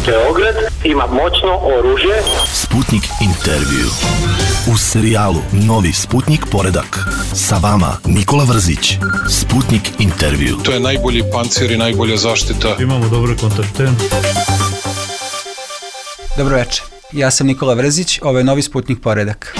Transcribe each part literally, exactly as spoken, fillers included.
Beograd ima moćno oružje. Sputnik intervju. U serijalu Novi Sputnik poredak. Sa vama Nikola Vrzić. Sputnik intervju. To je najbolji pancir i najbolja zaštita. Imamo dobre kontakte. Dobro večer. Ja sam Nikola Vrzić, ovo je Novi Sputnik poredak.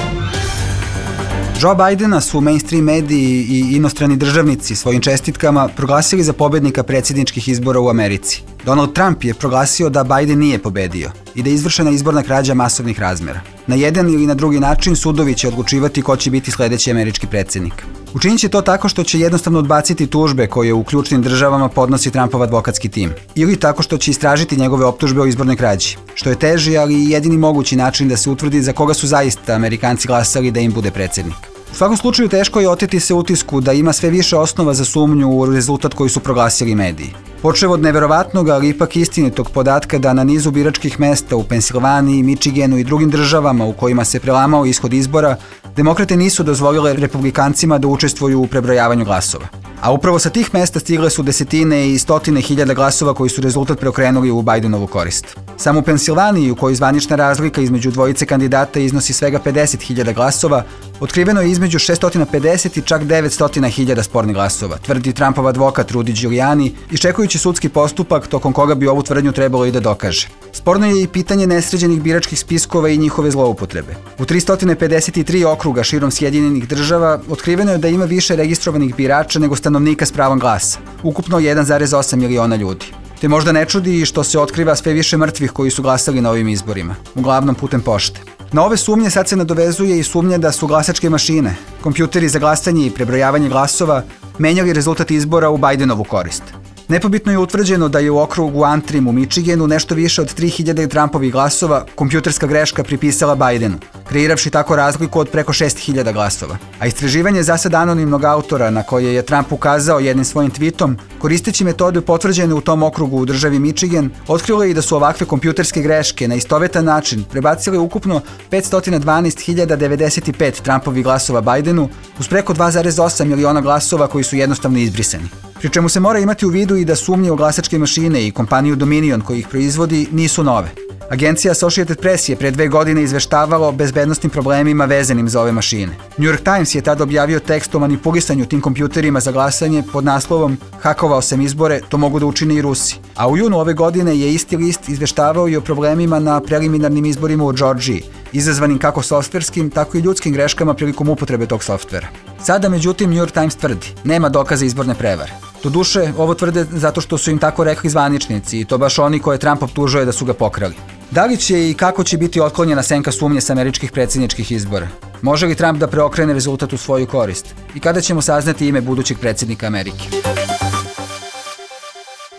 Joe Bidena su mainstream mediji i inostrani državnici svojim čestitkama proglasili za pobednika predsjedničkih izbora u Americi. Donald Trump je proglasio da Biden nije pobedio i da je izvršena izborna krađa masovnih razmera. Na jedan ili na drugi način sudovi će odlučivati ko će biti sledeći američki predsjednik. Učinit će to tako što će jednostavno odbaciti tužbe koje u ključnim državama podnosi Trumpov advokatski tim. Ili tako što će istražiti njegove optužbe o izbornoj krađi, što je teži, ali i jedini mogući način da se utvrdi za koga su zaista Amerikanci glasali da im bude predsjednik. U svakom slučaju teško je oteti se utisku da ima sve više osnova za sumnju u rezultat koji su proglasili mediji. Počev od neverovatnog, ali ipak istinitog podatka da na nizu biračkih mesta u Pensilvaniji, Michiganu i drugim državama u kojima se prelamao ishod izbora, demokrate nisu dozvolile republikancima da učestvuju u prebrojavanju glasova. A upravo sa tih mesta stigle su desetine i stotine hiljada glasova koji su rezultat preokrenuli u Bidenovu korist. Samo u Pensilvaniji, u kojoj zvanična razlika između dvojice kandidata iznosi svega pedeset hiljada glasova, otkriveno je između šesto pedeset i čak devetsto hiljada spornih glasova, tvrdi Trumpov advokat Rudy Giuliani, iščekujući sudski postupak tokom koga bi ovu tvrdnju trebalo i da dokaže. Sporno je i pitanje nesređenih biračkih spiskova i njihove zloupotrebe. U tristo pedeset tri okruga širom Sjedinjenih država otkriveno je da ima više registrovanih birača nego stanovnika s pravom glasa, ukupno jedan zarez osam miliona ljudi. Te možda ne čudi i što se otkriva sve više mrtvih koji su glasali na ovim izborima, uglavnom putem pošte. Na ove sumnje sad se nadovezuje i sumnje da su glasačke mašine, kompjuteri za glasanje i prebrojavanje glasova, menjali rezultat izbora u Bidenovu korist. Nepobitno je utvrđeno da je u okrugu Antrim u Michiganu nešto više od tri hiljade Trumpovih glasova kompjuterska greška pripisala Bidenu, kreiravši tako razliku od preko šest hiljada glasova. A istraživanje zasad anonimnog autora na koje je Trump ukazao jednim svojim tweetom, koristeći metode potvrđene u tom okrugu u državi Michigan, otkrilo je i da su ovakve kompjuterske greške na istovetan način prebacile ukupno petsto dvanaest hiljada devedeset pet Trumpovih glasova Bidenu uz preko dva zarez osam miliona glasova koji su jednostavno izbrisani. Pri čemu se mora imati u vidu i da sumnje u glasačke mašine i kompaniju Dominion koji ih proizvodi nisu nove. Agencija Associated Press je pre dve godine izveštavala o bezbednostnim problemima vezanim za ove mašine. New York Times je tada objavio tekst o manipulisanju tim kompjuterima za glasanje pod naslovom "Hakovao sam izbore, to mogu da učine i Rusi". A u junu ove godine je isti list izveštavao i o problemima na preliminarnim izborima u Džordžiji, izazvanim kako softverskim, tako i ljudskim greškama prilikom upotrebe tog softvera. Sada, međutim, New York Times tvrdi, nema dokaza izborne prevare. Doduše, ovo tvrde zato što su im tako rekli zvaničnici i to baš oni koje Trump optužuje da su ga pokrali. Da li će i kako će biti otklonjena senka sumnje sa američkih predsjedničkih izbora? Može li Trump da preokrene rezultat u svoju korist? I kada ćemo saznati ime budućeg predsjednika Amerike?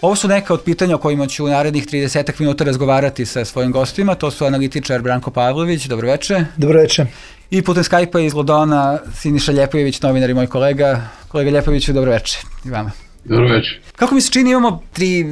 Ovo su neka od pitanja o kojima ću u narednih trideset minuta razgovarati sa svojim gostima. To su analitičar Branko Pavlović, dobroveče. Dobroveče. I putem Skype-a iz Londona Siniša Ljepojević, novinar i moj kolega. Kolega Ljepojeviću, dobroveče i vama. Dobroveče. Kako mi se čini, imamo tri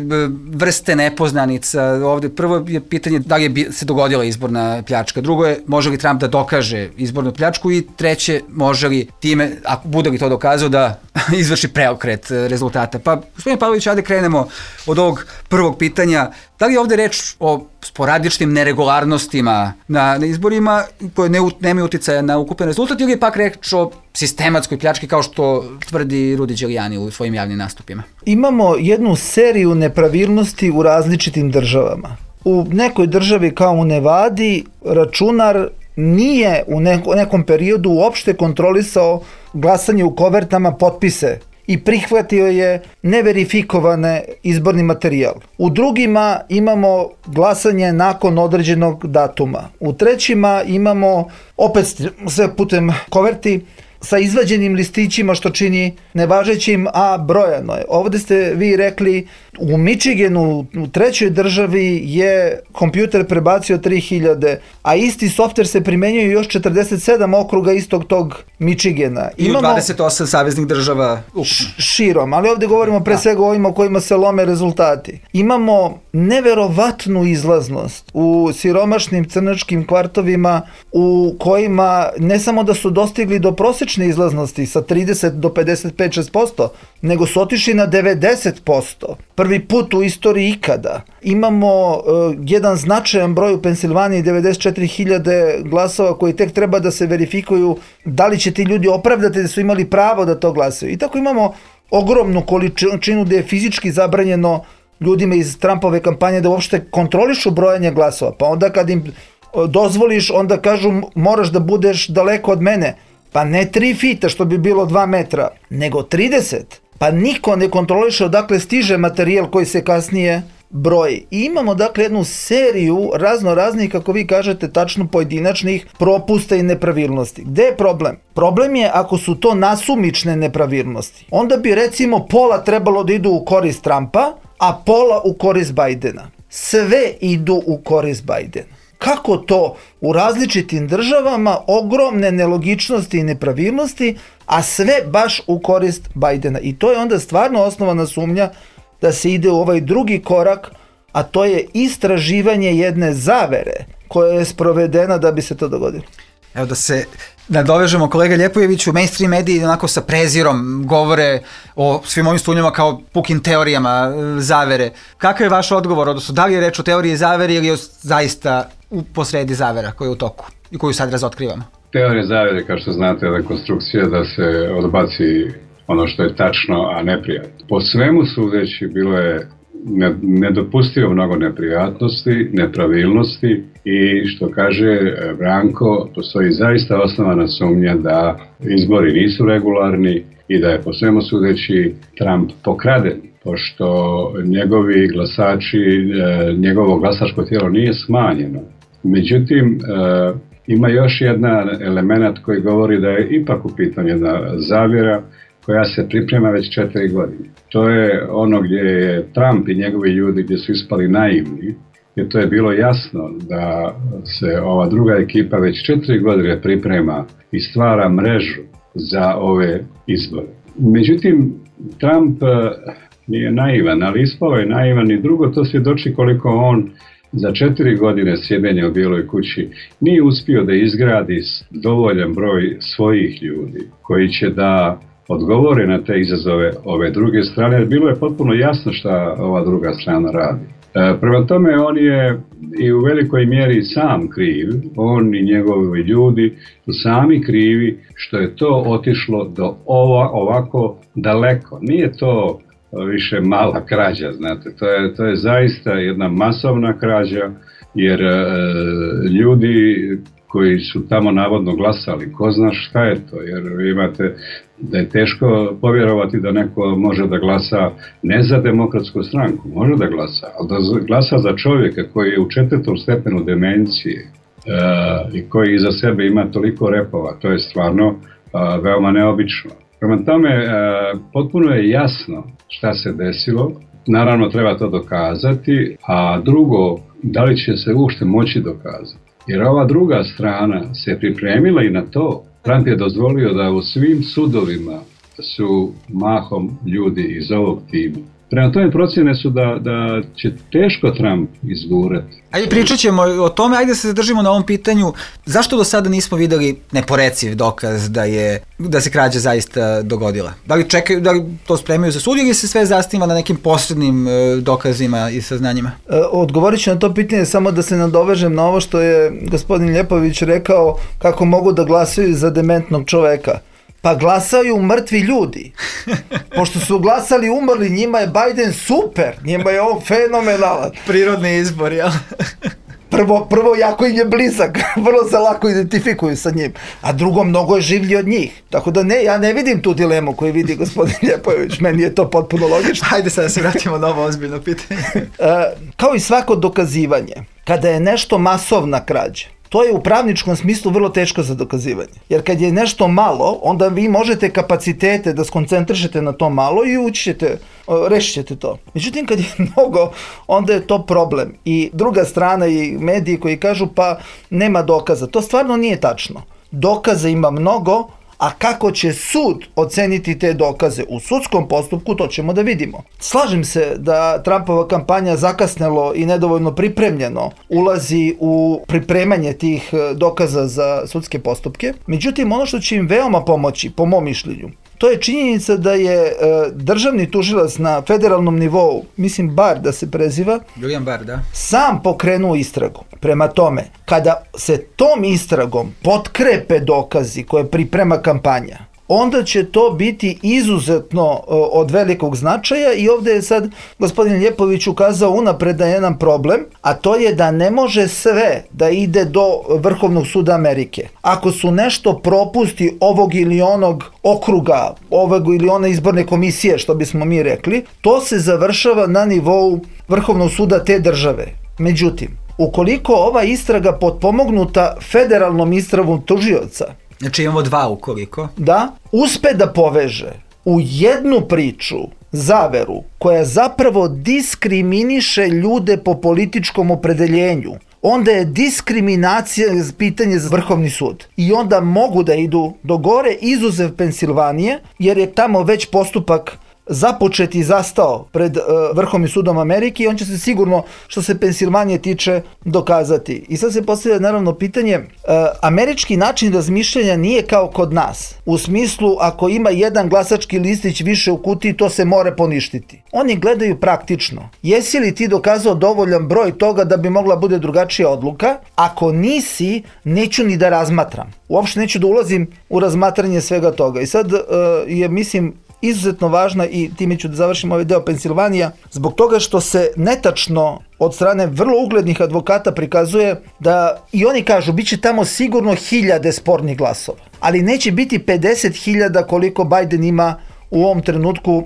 vrste nepoznanica ovde. Prvo je pitanje da li je se dogodila izborna pljačka. Drugo je može li Trump da dokaže izbornu pljačku i treće može li time, ako bude li to dokazao, da izvrši preokret rezultata. Pa, gospodine Pavlović, ajde krenemo od ovog prvog pitanja. Da li je ovde reč o sporadičnim neregularnostima na, na izborima koje ne, nemaju uticaja na ukupan rezultat ili je pak reč o sistematskoj pljački kao što tvrdi Rudy Giuliani u svojim javnim nastupima? Imamo jednu seriju nepravilnosti u različitim državama. U nekoj državi kao u Nevadi računar nije u neko, nekom periodu uopšte kontrolisao glasanje u kovertama, potpise i prihvatio je neverifikovane izborni materijal. U drugima imamo glasanje nakon određenog datuma. U trećima imamo opet sve putem koverti sa izvađenim listićima što čini nevažećim, a brojano je. Ovde ste vi rekli u Michiganu, u trećoj državi je kompjuter prebacio tri hiljade, a isti softver se primenjuje još četrdeset sedam okruga istog tog Michigana. I imamo dvadeset osam saveznih država ukupno. Širom, ali ovde govorimo pre svega o ovima o kojima se lome rezultati. Imamo neverovatnu izlaznost u siromašnim crnačkim kvartovima u kojima ne samo da su dostigli do prosječne izlaznosti sa trideset do pedeset pet do šest posto, nego su otišli na devedeset posto. Prvi put u istoriji ikada. Imamo uh, jedan značajan broj u Pensilvaniji, devedeset četiri hiljade glasova koji tek treba da se verifikuju da li će ti ljudi opravdati da su imali pravo da to glasaju. I tako imamo ogromnu količinu da je fizički zabranjeno ljudima iz Trumpove kampanje da uopšte kontrolišu brojanje glasova. Pa onda kad im dozvoliš, onda kažu moraš da budeš daleko od mene. Pa ne tri fita što bi bilo dva metra, nego trideset. Pa niko ne kontroliše odakle stiže materijal koji se kasnije broji. I imamo dakle jednu seriju razno raznih, kako vi kažete, tačno pojedinačnih propusta i nepravilnosti. Gde je problem? Problem je ako su to nasumične nepravilnosti. Onda bi recimo pola trebalo da idu u korist Trumpa, a pola u korist Bajdena. Sve idu u korist Bajdena. Kako to u različitim državama, ogromne nelogičnosti i nepravilnosti, a sve baš u korist Bajdena. I to je onda stvarno osnovana sumnja da se ide u ovaj drugi korak, a to je istraživanje jedne zavere koja je sprovedena da bi se to dogodilo. Evo da se nadovežemo, kolega Ljepojeviću, mainstream mediji onako sa prezirom govore o svim ovim studijama kao pukim teorijama zavere. Kakav je vaš odgovor, odnosno da li je reč o teoriji zavere ili je zaista u posredi zavera koja je u toku i koju sad razotkrivamo? Teorija zavere, kao što znate, je konstrukcija da se odbaci ono što je tačno, a neprijatno. Po svemu sudeći bilo je nedopustivo mnogo neprijatnosti, nepravilnosti i što kaže Branko, postoji zaista osnovana sumnja da izbori nisu regularni i da je po svemu sudeći Trump pokraden, pošto njegovi glasači, njegovo glasačko tijelo nije smanjeno. Međutim, ima još jedan element koji govori da je ipak u pitanju jedna zavjera koja se priprema već četiri godine. To je ono gdje je Trump i njegovi ljudi gdje su ispali naivni, jer to je bilo jasno da se ova druga ekipa već četiri godine priprema i stvara mrežu za ove izbore. Međutim, Trump nije naivan, ali ispao je naivan i drugo to svjedoči koliko on za četiri godine sjedenja u Bijeloj kući nije uspio da izgradi dovoljan broj svojih ljudi koji će da odgovore na te izazove ove druge strane, jer bilo je potpuno jasno šta ova druga strana radi. E, prema tome, on je i u velikoj mjeri sam kriv, on i njegovi ljudi su sami krivi što je to otišlo do ova, ovako daleko. Nije to više mala krađa, znate, to je, to je zaista jedna masovna krađa, jer e, ljudi koji su tamo navodno glasali, ko zna šta je to, jer imate da je teško povjerovati da neko može da glasa ne za demokratsku stranku, može da glasa, ali da glasa za čovjeka koji je u četvrtom stepenu demencije e, i koji iza sebe ima toliko repova, to je stvarno e, veoma neobično. Prema tome, e, potpuno je jasno šta se desilo, naravno treba to dokazati, a drugo, da li će se uopšte moći dokazati. Jer ova druga strana se pripremila i na to. Trump je dozvolio da u svim sudovima su mahom ljudi iz ovog tima. Prema tome procjene su da, da će teško Trump izgurati. Ajde, pričat ćemo o tome, ajde se zadržimo na ovom pitanju. Zašto do sada nismo videli neporeciv dokaz da je da se krađa zaista dogodila? Da li čekaju, da li to spremaju za sud ili se sve zasniva na nekim posrednim dokazima i saznanjima? Odgovorit ću na to pitanje samo da se nadovežem na ovo što je gospodin Ljepović rekao kako mogu da glasaju za dementnog čoveka. Pa glasaju mrtvi ljudi. Pošto su glasali umrli, njima je Biden super, njima je on fenomenalan. Prirodni izbor, jel? Prvo, prvo jako im je blizak, vrlo se lako identifikuju sa njim, a drugo mnogo je življi od njih. Tako da ne, ja ne vidim tu dilemu koju vidi gospodin Ljepojević, meni je to potpuno logično. Hajde sad da se vratimo na ovo ozbiljno pitanje. E, kao i svako dokazivanje, kada je nešto masovna krađa, to je u pravničkom smislu vrlo teško za dokazivanje. Jer kad je nešto malo, onda vi možete kapacitete da skoncentrišete na to malo i ući ćete, rešit ćete to. Međutim, kad je mnogo, onda je to problem. I druga strana i mediji koji kažu pa nema dokaza. To stvarno nije tačno. Dokaza ima mnogo, a kako će sud oceniti te dokaze u sudskom postupku, to ćemo da vidimo. Slažem se da Trumpova kampanja zakasnelo i nedovoljno pripremljeno ulazi u pripremanje tih dokaza za sudske postupke. Međutim, ono što će im veoma pomoći, po mom mišljenju, to je činjenica da je e, državni tužilac na federalnom nivou, mislim Barr da se preziva, William Barr, da, sam pokrenuo istragu. Prema tome, kada se tom istragom potkrepe dokazi koje priprema kampanja, onda će to biti izuzetno od velikog značaja i ovdje je sad gospodin Ljepović ukazao unapred na jedan problem, a to je da ne može sve da ide do Vrhovnog suda Amerike. Ako su nešto propusti ovog ili onog okruga, ovog ili one izborne komisije, što bismo mi rekli, to se završava na nivou Vrhovnog suda te države. Međutim, ukoliko ova istraga potpomognuta federalnom istragom tužioca, znači imamo dva ukoliko, da uspe da poveže u jednu priču zaveru koja zapravo diskriminiše ljude po političkom opredeljenju, onda je diskriminacija pitanje za Vrhovni sud. I onda mogu da idu do gore, izuzev Pensilvanije, jer je tamo već postupak započet i zastao pred uh, Vrhovnim sudom Amerike i on će se sigurno, što se Pensilvanije tiče, dokazati. I sad se postavlja naravno pitanje, uh, američki način razmišljanja nije kao kod nas. U smislu, ako ima jedan glasački listić više u kutiji, to se mora poništiti. Oni gledaju praktično. Jesi li ti dokazao dovoljan broj toga da bi mogla bude drugačija odluka? Ako nisi, neću ni da razmatram. Uopšte neću da ulazim u razmatranje svega toga. I sad uh, je, mislim, izuzetno važna, i time ću da završim ovaj deo, Pensilvanija, zbog toga što se netačno od strane vrlo uglednih advokata prikazuje da, i oni kažu, bit će tamo sigurno hiljade spornih glasova, ali neće biti pedeset hiljada koliko Biden ima u ovom trenutku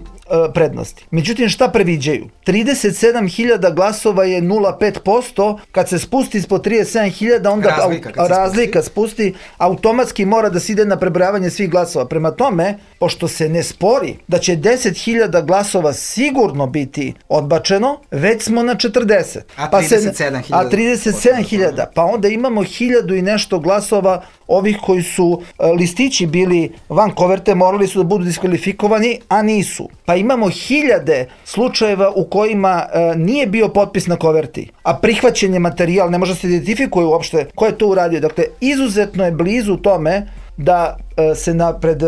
prednosti. Međutim, šta previđaju? trideset sedam hiljada glasova je nula zarez pet posto, kad se spusti ispod trideset sedam hiljada, onda razlika, au, razlika spusti. spusti, automatski mora da se ide na prebrojavanje svih glasova. Prema tome, pošto se ne spori da će deset hiljada glasova sigurno biti odbačeno, već smo na četrdeset. A trideset sedam hiljada. A trideset sedam hiljada. Pa onda imamo hiljadu i nešto glasova ovih koji su listići bili van koverte, morali su da budu diskvalifikovani, a nisu. Pa imamo hiljade slučajeva u kojima e, nije bio potpis na koverti, a prihvaćen je materijal, ne može se identifikuje uopšte ko je to uradio. Dakle, izuzetno je blizu tome da e, se na, pred e,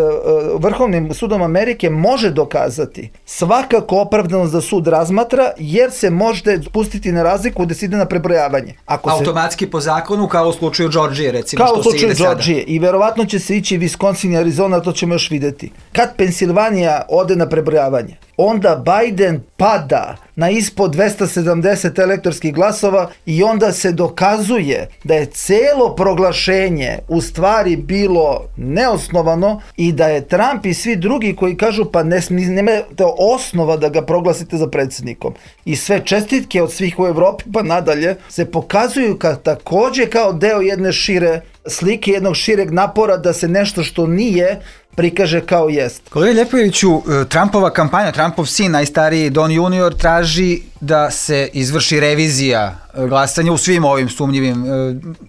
Vrhovnim sudom Amerike može dokazati svakako opravdanost da sud razmatra, jer se može spustiti na razliku da se ide na prebrojavanje. Ako automatski se, po zakonu, kao u slučaju Georgije, recimo, kao što se ide sada. Kao u slučaju Georgije. I verovatno će se ići Wisconsin i Arizona, to ćemo još vidjeti. Kad Pensilvanija ode na prebrojavanje, onda Biden pada na ispod dvesta sedamdeset elektorskih glasova i onda se dokazuje da je celo proglašenje u stvari bilo neosnovano i da je Trump i svi drugi koji kažu pa ne, nemate osnova da ga proglasite za predsjednikom. I sve čestitke od svih u Evropi pa nadalje se pokazuju ka, također kao deo jedne šire slike, jednog šireg napora da se nešto što nije prikaže kao jest. Kolega Ljepojeviću, Trumpova kampanja, Trumpov sin, najstariji Don junior, traži da se izvrši revizija glasanja u svim ovim sumnjivim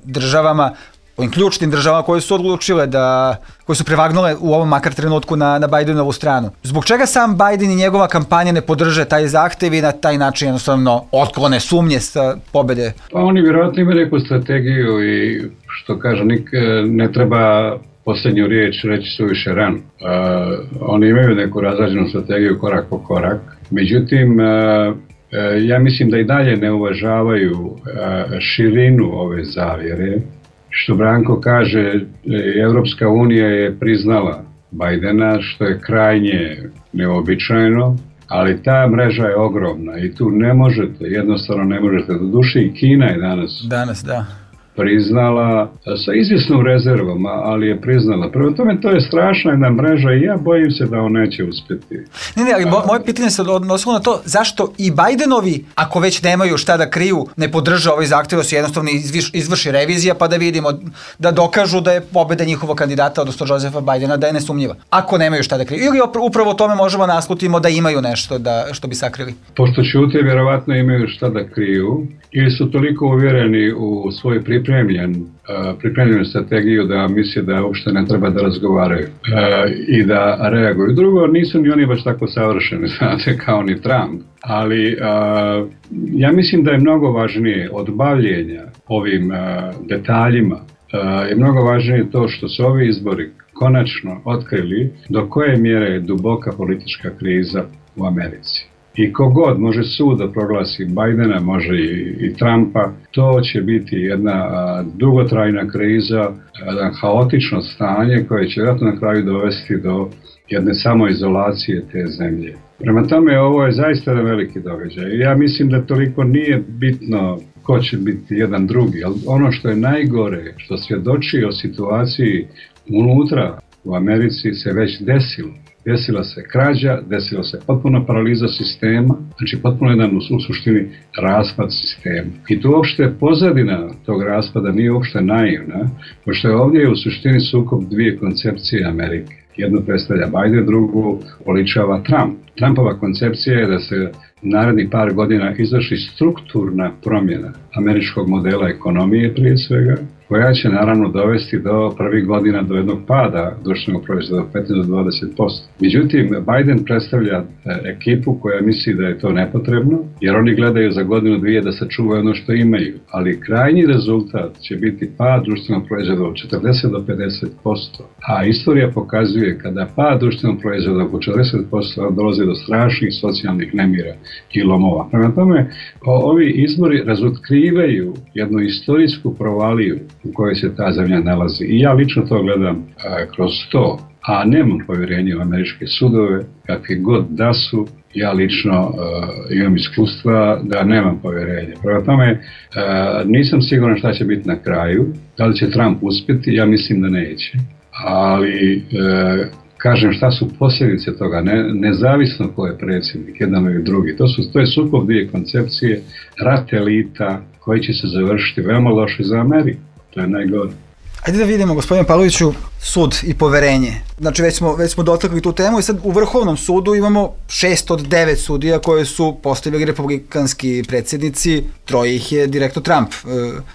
državama, ovim ključnim državama koje su odlučile da, koje su prevagnule u ovom makar trenutku na, na Bidenovu stranu. Zbog čega sam Biden i njegova kampanja ne podrže taj zahtev i na taj način jednostavno otklone sumnje sa pobede? Pa oni vjerojatno imaju neku strategiju i što kažu, nik, ne treba posljednju riječ reći suviše rano. Uh, oni imaju neku razrađenu strategiju korak po korak. Međutim, uh, uh, ja mislim da i dalje ne uvažavaju uh, širinu ove zavjere. Što Branko kaže, Evropska unija je priznala Bidena, što je krajnje neobičajno, ali ta mreža je ogromna i tu ne možete, jednostavno ne možete. Do duše i Kina je danas, danas da. priznala sa izvjesnom rezervom, ali je priznala. Prema tome, to je strašna jedna mreža i ja bojim se da on neće uspjeti. Ne, ne, ali moje pitanje se odnosilo na to zašto i Bidenovi, ako već nemaju šta da kriju, ne podrže ovaj zahtjev da se jednostavno izviš, izvrši revizija pa da vidimo, da dokažu da je pobjeda njihovog kandidata, odnosno Josefa Bidena, da je nesumnjiva. Ako nemaju šta da kriju. Ili upravo tome možemo naslutimo da imaju nešto da, što bi sakrili. Pošto ćute, vjerovatno imaju šta da kriju ili su toliko uvjereni u svoju pripadnost pripremljen, pripremljenu strategiju da misle da uopšte ne treba da razgovaraju i da reaguju. Drugo, nisu ni oni baš tako savršeni, znate, kao ni Trump, ali ja mislim da je mnogo važnije od bavljenja ovim detaljima, je mnogo važnije to što su ovi izbori konačno otkrili do koje mjere je duboka politička kriza u Americi. I kogod može sud da proglasi Bidena, može i, i Trumpa, to će biti jedna a, dugotrajna kriza, jedan haotično stanje koje će vjerojatno na kraju dovesti do jedne samoizolacije te zemlje. Prema tome, ovo je zaista veliki događaj. Ja mislim da toliko nije bitno ko će biti jedan drugi, ali ono što je najgore, što svjedoči o situaciji unutra u Americi se već desilo. Desila se krađa, desila se potpuno paraliza sistema, znači potpuno jedan u suštini raspad sistema. I tu uopšte pozadina tog raspada nije uopšte naivna, pošto je ovdje u suštini sukob dvije koncepcije Amerike. Jednu predstavlja Biden, drugu oličava Trump. Trumpova koncepcija je da se narednih par godina izvrši strukturna promjena američkog modela ekonomije prije svega, koja će naravno dovesti do prvih godina do jednog pada društvenog proizvoda od petnaest do dvadeset posto. Međutim, Biden predstavlja ekipu koja misli da je to nepotrebno, jer oni gledaju za godinu dvije da sačuvaju ono što imaju. Ali krajnji rezultat će biti pad društvenog proizvoda od četrdeset do pedeset posto. A istorija pokazuje kada pad društvenog proizvoda oko četrdeset posto dolazi do strašnih socijalnih nemira i lomova. Prema tome, ovi izbori razotkrivaju jednu istorijsku provaliju u kojoj se ta zemlja nalazi. I ja lično to gledam a, kroz to, a nemam povjerenje u američke sudove, kakvi god da su, ja lično a, imam iskustva da nemam povjerenje. Prema tome, a, nisam siguran šta će biti na kraju, da li će Trump uspjeti, ja mislim da neće, ali a, kažem šta su posljedice toga, ne, nezavisno ko je predsjednik, jedan ili drugi. To, su, to je sukob dvije koncepcije, rat elita koji će se završiti veoma loše za Ameriku. To je najgore. Ajde da vidimo, gospodine Pavloviću, sud i poverenje. Znači, već smo, već smo dotakli tu temu i sad u Vrhovnom sudu imamo šest od devet sudija koje su postavili republikanski predsjednici, troje ih je direktno Trump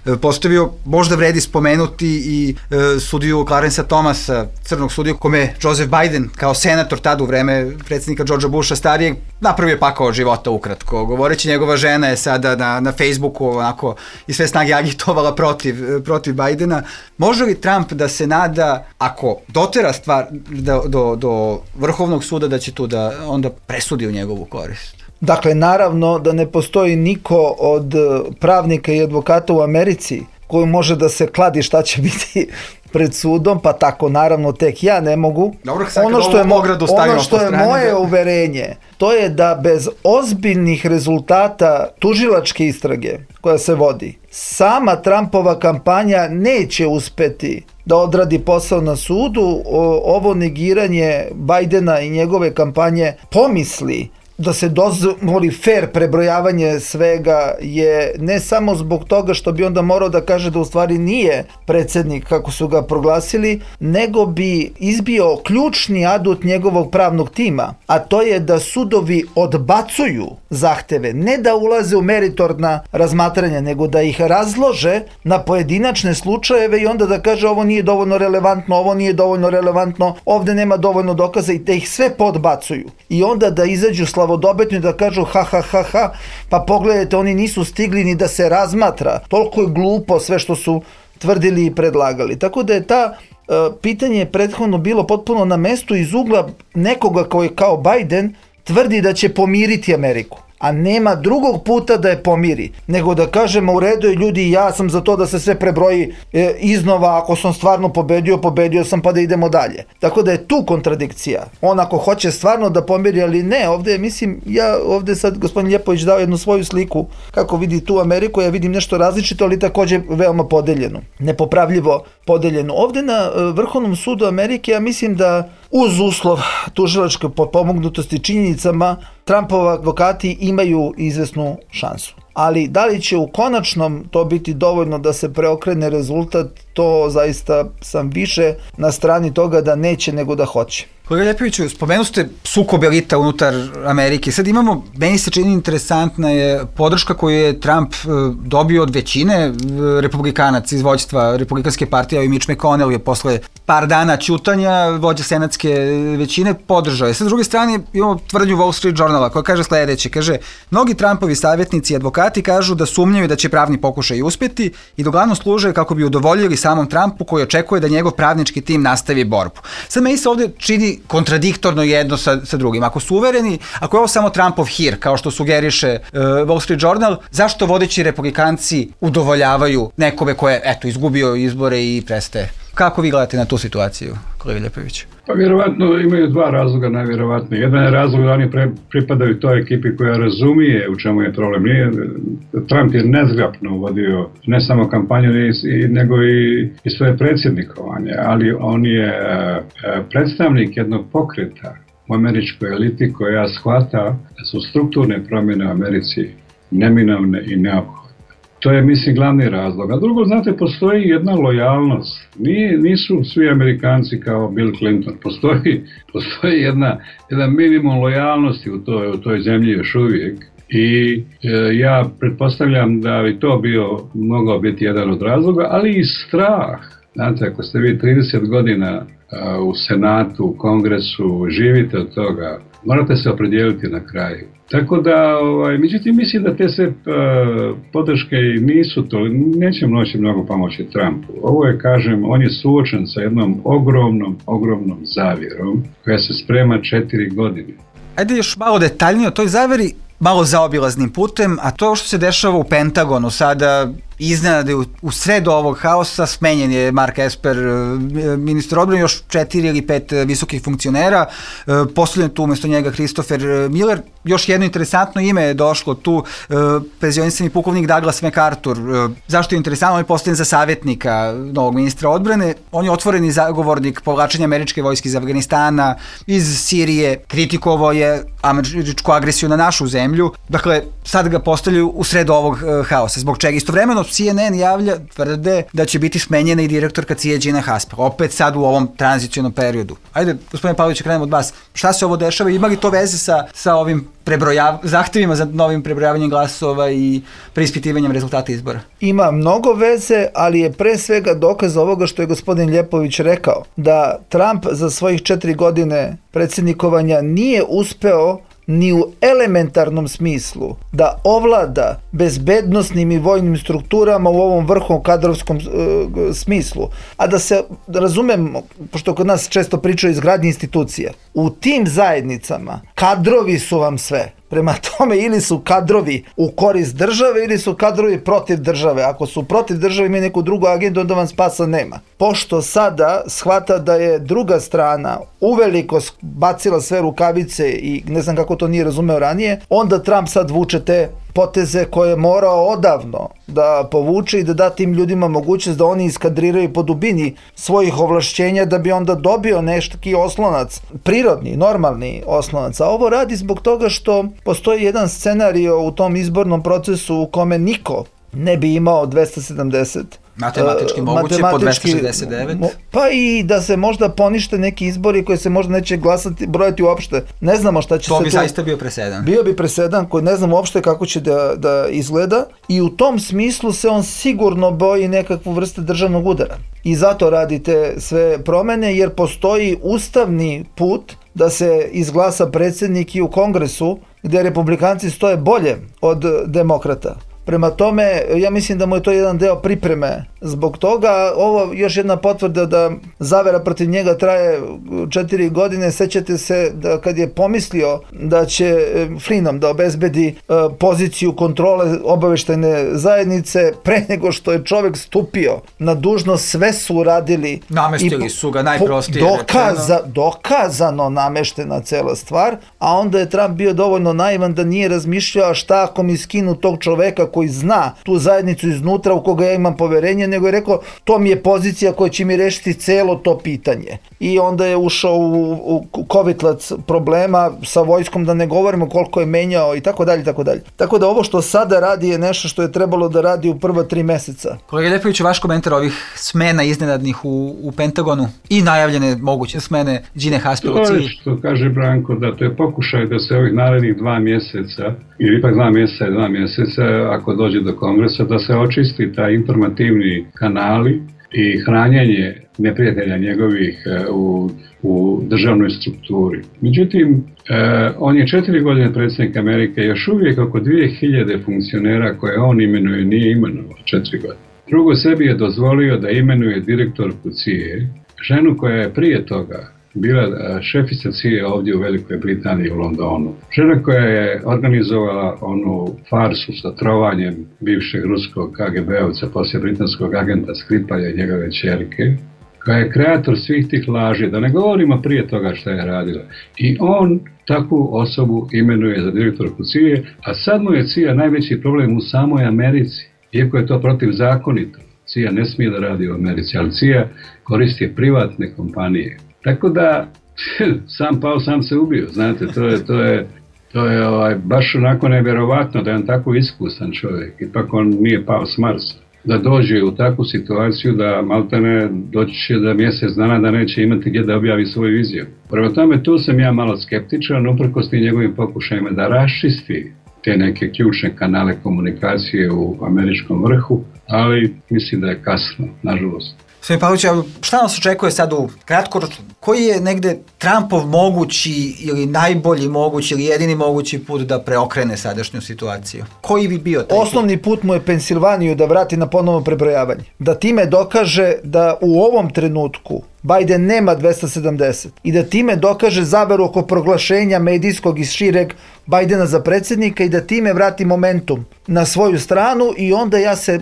e, postavio. Možda vredi spomenuti i e, sudiju Clarence Thomasa, crnog sudiju, kome je Joseph Biden kao senator tada u vreme predsjednika Georgea Busha starijeg napravio pakao od života ukratko. Govoreći, njegova žena je sada na, na Facebooku onako i sve snage agitovala protiv, protiv Bidena. Može li Trump da se nada, ako dotera stvar do, do, do Vrhovnog suda, da će tu da onda presudi u njegovu korist? Dakle, naravno da ne postoji niko od pravnika i advokata u Americi koji može da se kladi šta će biti pred sudom, pa tako naravno tek ja ne mogu. Dobro, sad ono što je, mo- ono što je strane, moje da... uverenje, to je da bez ozbiljnih rezultata tužilačke istrage koja se vodi, sama Trumpova kampanja neće uspeti da odradi posao na sudu. Ovo negiranje Bidena i njegove kampanje pomisli da se dozvoli fair prebrojavanje svega je ne samo zbog toga što bi onda morao da kaže da u stvari nije predsjednik kako su ga proglasili, nego bi izbio ključni adut njegovog pravnog tima, a to je da sudovi odbacuju zahteve, ne da ulaze u meritorna razmatranja, nego da ih razlože na pojedinačne slučajeve i onda da kaže ovo nije dovoljno relevantno, ovo nije dovoljno relevantno, ovde nema dovoljno dokaza i da ih sve podbacuju. I onda da izađu slavodobitno i da kažu ha ha ha ha, pa pogledajte, oni nisu stigli ni da se razmatra. Toliko je glupo sve što su tvrdili i predlagali. Tako da je ta uh, pitanje prethodno bilo potpuno na mestu iz ugla nekoga koji kao Biden tvrdi da će pomiriti Ameriku. A nema drugog puta da je pomiri, nego da kažemo u redu je ljudi, ja sam za to da se sve prebroji e, iznova, ako sam stvarno pobedio, pobedio sam pa da idemo dalje. Tako da je tu kontradikcija. On ako hoće stvarno da pomiri, ali ne, ovdje mislim, ja ovdje sad gospodin Ljepović dao jednu svoju sliku kako vidi tu Ameriku, ja vidim nešto različito, ali također veoma podeljeno, nepopravljivo podeljeno. Ovdje na e, Vrhovnom sudu Amerike ja mislim da uz uslov tužilačke potpomognutosti činjenicama Trumpovi advokati imaju izvesnu šansu. Ali da li će u konačnom to biti dovoljno da se preokrene rezultat, to zaista sam više na strani toga da neće nego da hoće. Kolega Ljepoviću, spomenu ste sukob elita unutar Amerike. Sad imamo, meni se čini interesantna je podrška koju je Trump dobio od većine republikanaca iz vođstva Republikanske partije, i Mitch McConnell je posle par dana ćutanja vođa senatske većine podržao je. Sad, s druge strane, imamo tvrdnju Wall Street Journala koja kaže sledeće, kaže, mnogi Trumpovi savjetnici i advokati kažu da sumnjaju da će pravni pokušaj uspjeti i da uglavnom služe kako bi udovoljili samom Trumpu koji očekuje da njegov pravnički tim nastavi borbu. Sad meni se ovdje čini kontradiktorno jedno sa, sa drugim. Ako su uvereni, ako je ovo samo Trumpov hir, kao što sugeriše uh, Wall Street Journal, zašto vodeći republikanci udovoljavaju nekome ko je, eto, izgubio izbore i prestaje? Kako vi gledate na tu situaciju, kolega Ljepović? Pa vjerovatno imaju dva razloga najvjerovatnije. Jedan je razlog da oni pre, pripadaju toj ekipi koja razumije u čemu je problem. Nije, Trump je nezgrapno vodio ne samo kampanju, nego i, i svoje predsjednikovanje, ali on je predstavnik jednog pokreta u američkoj eliti koja shvata da su strukturne promjene u Americi neminovne i neophodne. To je, mislim, glavni razlog. A drugo, znate, postoji jedna lojalnost. Nije, nisu svi Amerikanci kao Bill Clinton. Postoji, postoji jedna, jedan minimum lojalnosti u toj, u toj zemlji još uvijek. I e, ja pretpostavljam da bi to bio, mogao biti jedan od razloga, ali i strah. Znate, ako ste vi trideset godina a, u Senatu, u Kongresu, živite od toga, morate se opredijeliti na kraju. Tako da, ovaj, međutim, mislim da te se uh, podrške nisu to, neće moći mnogo pomoći Trumpu. Ovo je, kažem, on je suočen sa jednom ogromnom, ogromnom zavjerom koja se sprema četiri godine. Ajde još malo detaljnije o toj zavjeri, malo zaobilaznim putem, a to što se dešava u Pentagonu sada, iznenade u, u sredu ovog haosa, smenjen je Mark Esper, ministar odbrane, još četiri ili pet visokih funkcionera, postavljen tu umjesto njega Christopher Miller. Još jedno interesantno ime je došlo tu, penzionisani pukovnik Douglas MacArthur. Zašto je interesantno? On je postavljen za savjetnika novog ministra odbrane. On je otvoreni zagovornik povlačenja američke vojske iz Afganistana, iz Sirije, kritikovao je američku agresiju na našu zemlju. Dakle, sad ga postavljaju u sredu ovog haosa. Zbog čega? Istovremeno C N N javlja, tvrde da će biti smenjena i direktorka C I A Gina Haspel. Opet sad u ovom tranzicionom periodu. Ajde, gospodine Pavlović, krenemo od vas. Šta se ovo dešava? Ima li to veze sa, sa ovim prebrojav, zahtjevima za novim prebrojavanjem glasova i preispitivanjem rezultata izbora? Ima mnogo veze, ali je pre svega dokaz ovoga što je gospodin Ljepović rekao, da Trump za svojih četiri godine predsjednikovanja nije uspeo ni u elementarnom smislu da ovlada bezbednosnim i vojnim strukturama u ovom vrhu kadrovskom e, smislu. A da se razumemo, pošto kod nas često pričaju o izgradnji institucija, u tim zajednicama kadrovi su vam sve. Prema tome, ili su kadrovi u korist države, ili su kadrovi protiv države. Ako su protiv države i imaju neku drugu agendu, onda vam spasa nema. Pošto sada shvata da je druga strana uveliko bacila sve rukavice i ne znam kako to nije razumeo ranije, onda Trump sad vuče te poteze koje je morao odavno da povuče i da da tim ljudima mogućnost da oni iskadriraju po dubini svojih ovlašćenja da bi onda dobio neki oslonac, prirodni, normalni oslonac. A ovo radi zbog toga što postoji jedan scenario u tom izbornom procesu u kome niko ne bi imao dvesta sedamdeset. Matematički moguće, po dvesta šezdeset devet. Pa i da se možda ponište neki izbori koji se možda neće glasati, brojati uopšte. Ne znamo šta će to se tu... To bi zaista bio presedan. Bio bi presedan koji ne znamo uopšte kako će da, da izgleda i u tom smislu se on sigurno boji nekakvu vrstu državnog udara. I zato radi te sve promene jer postoji ustavni put da se izglasa predsjednik i u Kongresu gdje republikanci stoje bolje od demokrata. Prema tome, ja mislim da mu je to jedan deo pripreme zbog toga. Ovo još jedna potvrda da zavera protiv njega traje četiri godine. Sećate se da kad je pomislio da će Flynnom da obezbedi poziciju kontrole obavještajne zajednice, pre nego što je čovjek stupio na dužnost, sve su uradili. Namestili i su ga najprostije dokaza, dokazano nameštena cela stvar, a onda je Trump bio dovoljno naivan da nije razmišljao šta ako mi skinu tog čoveka koji zna tu zajednicu iznutra u koga ja imam poverenje, nego je rekao to mi je pozicija koja će mi rešiti celo to pitanje. I onda je ušao u, u kovitlac problema sa vojskom, da ne govorimo koliko je menjao i tako dalje, tako dalje. Tako da ovo što sada radi je nešto što je trebalo da radi u prva tri meseca. Kolega Ljepoviću, vaš komentar ovih smena iznenadnih u, u Pentagonu i najavljene moguće smene Gine Haspel. To je što kaže Branko, da to je pokušaj da se ovih narednih dva mjeseca, ili ipak dva mjeseca i dva mjeseca, ako dođe do kongresa, da se očisti taj informativni kanali i hranjenje neprijatelja njegovih u, u državnoj strukturi. Međutim, eh, on je četiri godine predsjednik Amerike, još uvijek oko dvije hiljade funkcionera koje on imenuje nije imenovao četiri godine. Drugo, sebi je dozvolio da imenuje direktorku C I A, ženu koja je prije toga bila šefica C I A ovdje u Velikoj Britaniji u Londonu. Žena koja je organizovala onu farsu sa trovanjem bivšeg ruskog K G B-ovca, poslije britanskog agenta Skripalja i njegove ćerke, koja je kreator svih tih laži, da ne govorimo prije toga što je radila. I on takvu osobu imenuje za direktorku C I A, a sad mu je C I A najveći problem u samoj Americi, iako je to protivzakonito. C I A ne smije da radi u Americi, ali C I A koristi privatne kompanije. Tako da, sam pao, sam se ubio, znate, to je, to je, to je ovaj, baš onako nevjerovatno da je on tako iskusan čovjek, ipak on nije pao s Marsa. Da dođe u takvu situaciju da maltene doći će da mjesec dana da neće imati gdje da objavi svoju viziju. Prema tome, tu sam ja malo skeptičan, uprkos tim njegovim pokušajima da raščisti te neke ključne kanale komunikacije u američkom vrhu, ali mislim da je kasno, nažalost. Gospodin Pavlović, šta nas očekuje sad u kratkoročno? Koji je negde Trumpov mogući ili najbolji mogući ili jedini mogući put da preokrene sadašnju situaciju? Koji bi bio taj Osnovni put? put mu je Pensilvaniju da vrati na ponovno prebrojavanje. Da time dokaže da u ovom trenutku Biden nema dvesta sedamdeset i da time dokaže zaveru oko proglašenja medijskog i šireg Bidena za predsjednika i da time vrati momentum na svoju stranu i onda ja se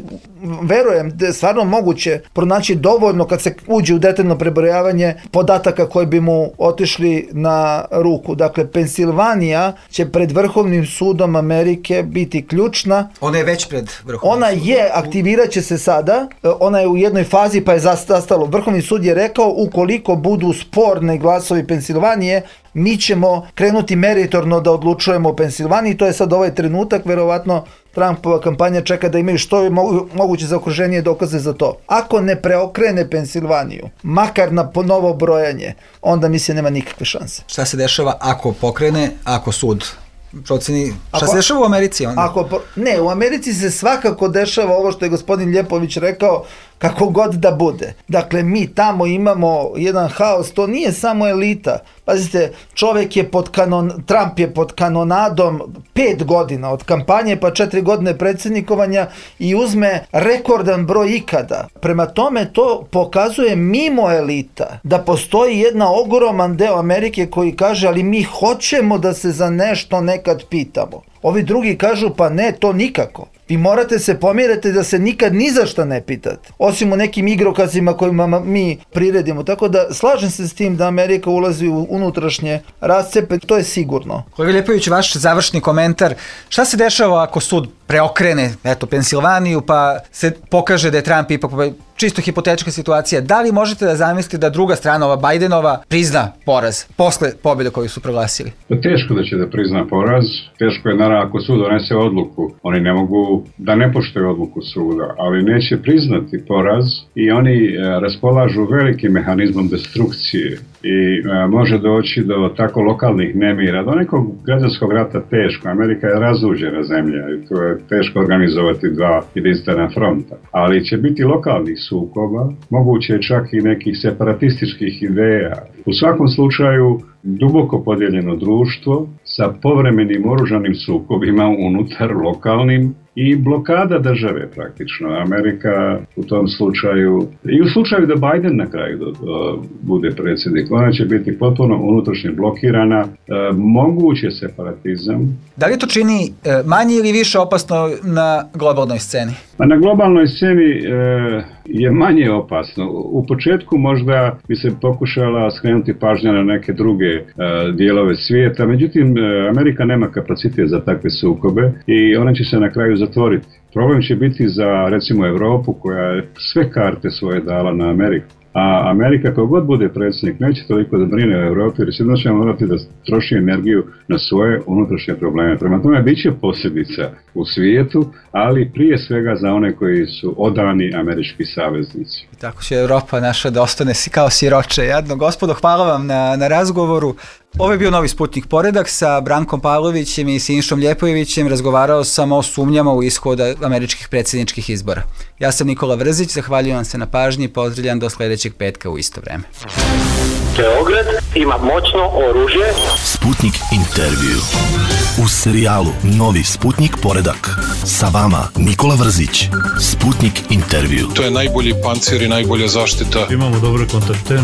verujem da je stvarno moguće pronaći dovoljno kad se uđe u detaljno prebrojavanje podataka koji bi mu otišli na ruku. Dakle, Pensilvanija će pred Vrhovnim sudom Amerike biti ključna. Ona je već pred Vrhovnim Ona sudom. je, aktivirat će se sada, ona je u jednoj fazi pa je zastalo. Vrhovni sud je rekao ukoliko budu sporni glasovi Pensilvanije, mi ćemo krenuti meritorno da odlučujemo o Pensilvaniji. To je sad ovaj trenutak, verovatno Trumpova kampanja čeka da imaju što je moguće zaokruženije dokaze za to. Ako ne preokrene Pensilvaniju, makar na novo brojanje, onda mislim nema nikakve šanse. Šta se dešava ako pokrene, ako sud proceni, šta ako, se dešava u Americi onda? Ako, ne, u Americi se svakako dešava ovo što je gospodin Ljepović rekao, kako god da bude. Dakle, mi tamo imamo jedan haos, to nije samo elita. Pazite, čovjek je pod kanon, Trump je pod kanonadom pet godina od kampanje pa četiri godine predsjednikovanja i uzme rekordan broj ikada. Prema tome to pokazuje mimo elita da postoji jedna ogroman deo Amerike koji kaže ali mi hoćemo da se za nešto nekad pitamo. Ovi drugi kažu pa ne, to nikako. Vi morate se pomiriti da se nikad ni za šta ne pitate. Osim u nekim igrokazima kojima mi priredimo. Tako da slažem se s tim da Amerika ulazi u unutrašnje rascepe, to je sigurno. Kolega Ljepović, vaš završni komentar. Šta se dešava ako sud preokrene, eto, Pensilvaniju, pa se pokaže da je Trump ipak čisto hipotetička situacija? Da li možete da zamislite da druga strana, ova Bidenova, prizna poraz posle pobjede koju su proglasili? Teško da će da prizna poraz. Teško je, naravno, ako sud donese odluku. Oni ne mogu da ne poštuju odluku suda, ali neće priznati poraz i oni e, raspolažu velikim mehanizmom destrukcije i e, može doći do tako lokalnih nemira, do nekog građanskog rata teško. Amerika je razuđena zemlja i to je teško organizovati dva jedinstvena fronta, ali će biti lokalnih sukoba, moguće je čak i nekih separatističkih ideja. U svakom slučaju duboko podijeljeno društvo sa povremenim oružanim sukobima unutar lokalnim i blokada države praktično. Amerika u tom slučaju, i u slučaju da Biden na kraju do, do, bude predsjednik, ona će biti potpuno unutrašnje blokirana, e, moguće separatizam. Da li to čini e, manje ili više opasno na globalnoj sceni? A na globalnoj sceni e, je manje opasno. U početku možda bi se pokušala skrenuti pažnja na neke druge e, dijelove svijeta, međutim e, Amerika nema kapacitet za takve sukobe i ona će se na kraju zatvoriti. Problem će biti za, recimo, Evropu koja je sve karte svoje dala na Ameriku. A Amerika, kao god bude predsjednik, neće toliko da brine o Evropi, jer sigurno će morati da troši energiju na svoje unutrašnje probleme. Prema tome, bit će posljedica u svijetu, ali prije svega za one koji su odani američki saveznici. I tako će Evropa naša da ostane kao siroče jadno. Gospodo, hvala vam na, na razgovoru. Ovo je bio Novi Sputnik Poredak sa Brankom Pavlovićem i Sinišom Ljepojevićem. Razgovarao sam o sumnjama u ishod američkih predsjedničkih izbora. Ja sam Nikola Vrzić, zahvaljujem vam se na pažnji i pozdravljam do sljedećeg petka u isto vreme. Beograd ima moćno oružje. Sputnik intervju. U serijalu Novi Sputnik Poredak. Sa vama Nikola Vrzić. Sputnik intervju. To je najbolji pancir i najbolja zaštita. Imamo dobre kontakte.